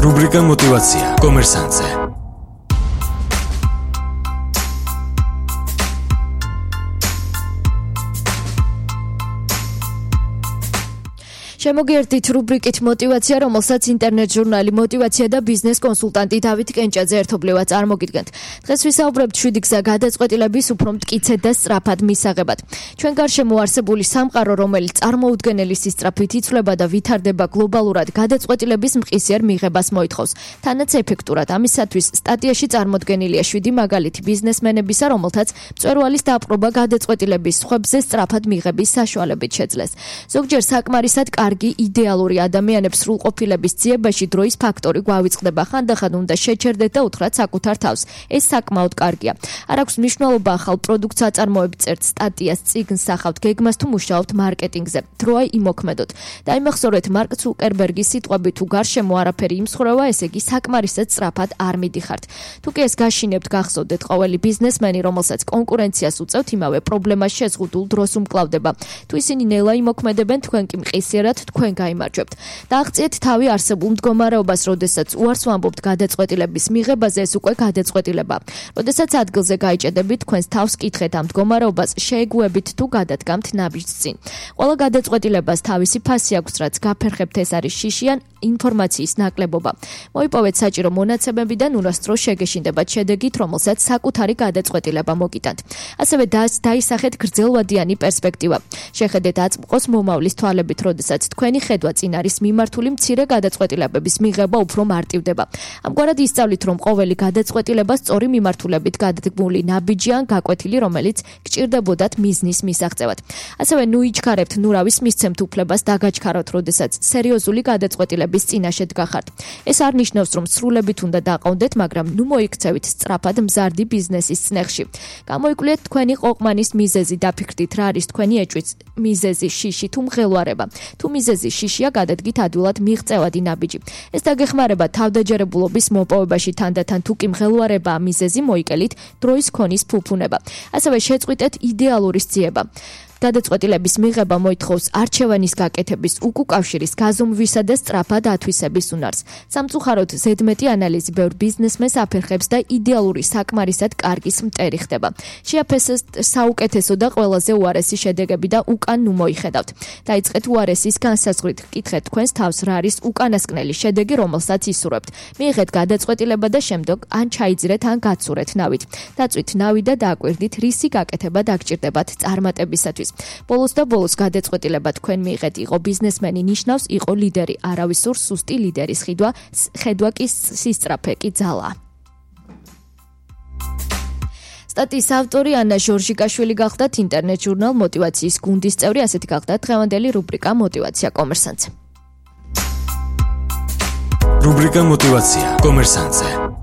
რუბრიკა მოტივაცია კომერსანტზე. შემოგიერთდით რუბრიკით მოტივაცია, რომელსაც ინტერნეტ ჟურნალი მოტივაცია და ბიზნეს კონსულტანტი დავით კენჭაძე ერთობლივად წარმოგიდგენთ. დღეს ვისაუბრებთ 7 გზა გადაწყვეტილების უფრო მტკიცედ და სწრაფად მისაღებად. ჩვენ გარშემო არსებული სამყარო, რომელიც წარმოუდგენელი სისწრაფით იცვლება და ვითარდება გლობალურად, გადაწყვეტილების მყისიერ მიღებას მოითხოვს. თანაც ეფექტურად ამისათვის სტატიაში წარმოდგენილია 7 მაგალითი ბიზნესმენებისა, რომელთაც მწვერვალის დაპყრობა გადაწყვეტილების სხვებზე სწრაფად მიღების საშუალებით შეძლეს. ზოგჯერ საკმარისად იდეალური ადამიანებს სრულყოფილების ძიებაში დროის ფაქტორი გვავიწყდება. ხანდახან უნდა შეჩერდეთ და უთხრათ საკუთარ თავს. ეს საკმაოდ კარგია. არ აქვს მნიშვნელობა ახალ პროდუქტს აწარმოებთ, წერთ სტატიას, წიგნს სახავთ, გეგმას თუ მუშაობთ მარკეტინგზე. დროა იმოქმედოთ. დაიმახსოვრეთ მარკ ცუკერბერგის სიტყვებით, თუ გარშემო არაფერი იმსხვრევა, ესე იგი საკმარისად სწრაფად არ მიდიხართ. თუ კი ეს გაშინებთ, გახსოვდეთ, ყოველი ბიზნესმენი, რომელსაც კონკურენციას უწევთ, იმავე პრობლემას შეზღუდულ დროს უმკლავდება. თუ ისინი ნელა იმოქმედებენ, თქვენ კი მყისიერად თქვენ გაიმარჯვებთ. დააღწიეთ თავი არსებულ მდგომარეობას, როდესაც უარს ვამბობთ გადაწყვეტილების მიღებაზე, ეს უკვე გადაწყვეტილება. როდესაც ადგილზე გაიჭედებით, თქვენს თავს კითხეთ ამ მდგომარეობას, შეეგუებით თუ გადადგამთ ნაბიჯს წინ. ყველა გადაწყვეტილებას თავისი ფასი აქვს, რაც გაფერხებთ, ეს არის შიშიან ინფორმაციის ნაკლებობა. მოიპოვეთ საჭირო მონაცემები და ნურასდროს შეგეშინდებათ შედეგით, რომელსაც საკუთარი გადაწყვეტილება მოგიტანთ. ასევე დაისახეთ გრძელვადიანი პერსპექტივა. შეხედეთ აწმყოს მომავლის თვალებით, როდესაც თქვენი ხედვა წინ არის მიმართული, მცირე გადაწყვეტილებების მიღება უფრო მარტივდება. ამგვარად ისწავლით, რომ ყოველი გადაწყვეტილება სწორი მიმართულებით გადადგმული ნაბიჯი ან გაკვეთილი, რომელიც გჭირდებოდათ მიზნის მისაღწევად. ასევე ნუიჩქარებთ, ნურავის მისცემთ უფლებას დაგაჩქაროთ, როდესაც სერიოზული გადაწყვეტილების წინაშე დგახართ. ეს არ ნიშნავს, რომ სრულებით უნდა დაყავდეთ, მაგრამ ნუ მოიქცევით სწრაფად მზარდი ბიზნესის წნეხში. გამოიკვლიეთ თქვენი ყოყმანის მიზეზი, დაფიქრდით, რა არის თქვენი ეჭვის მიზეზი, შიში თუ მღელვარება. თუ მიზეზი შიშია, გადადგით ადვილად მიღწევადი ნაბიჯი. ეს დაგეხმარება თავდაჯერებულობის მოპოვებაში, თანდათან თუ კი მღელვარებაა მიზეზი, მოიკელით დროის ქონის ფუფუნება. ასევე შეწყვიტეთ იდეალურის ძიება. გადაწყვეტილების მიღება მოითხოვს არჩევანის გაკეთების, უკუკავშირის, გაზომვისა და სწრაფად ათვისების უნარს. სამწუხაროდ, ზედმეტი ანალიზი ბევრ ბიზნესმენს აფერხებს და იდეალური საკმარისად კარგის მტერი ხდება. შეაფასეთ საუკეთესო და ყველაზე უარესი შედეგები და უკან ნუ მოიხედავთ. დაიწყეთ უარესის განსაზღვრით, კითხეთ თქვენს თავს, რა არის უკანასკნელი შედეგი, რომელსაც ისურვებთ. მიიღეთ გადაწყვეტილება და შემდგომ ან ჩაიძირეთ, ან გაცურეთ ნავით. დაწვით ნავი და დააკვირდით, რისი გაკეთება დაგჭირდებათ წარმატებისათვის. ბოლოს და ბოლოს გადაწყვეტილება თქვენ მიიღეთ, იყო ბიზნესმენი ნიშნავს, იყო ლიდერი, არავისურ სუსტი ლიდერის ხედვა კი სისწრაფე კი ძალა. სტატიის ავტორი ანა ჟორჟიკაშვილი გახლდათ ინტერნეტ ჟურნალ მოტივაციის გუნდის წევრი, ასეთი გახლდათ დღევანდელი რუბრიკა მოტივაცია კომერსანტზე. რუბრიკა მოტივაცია კომერსანტზე.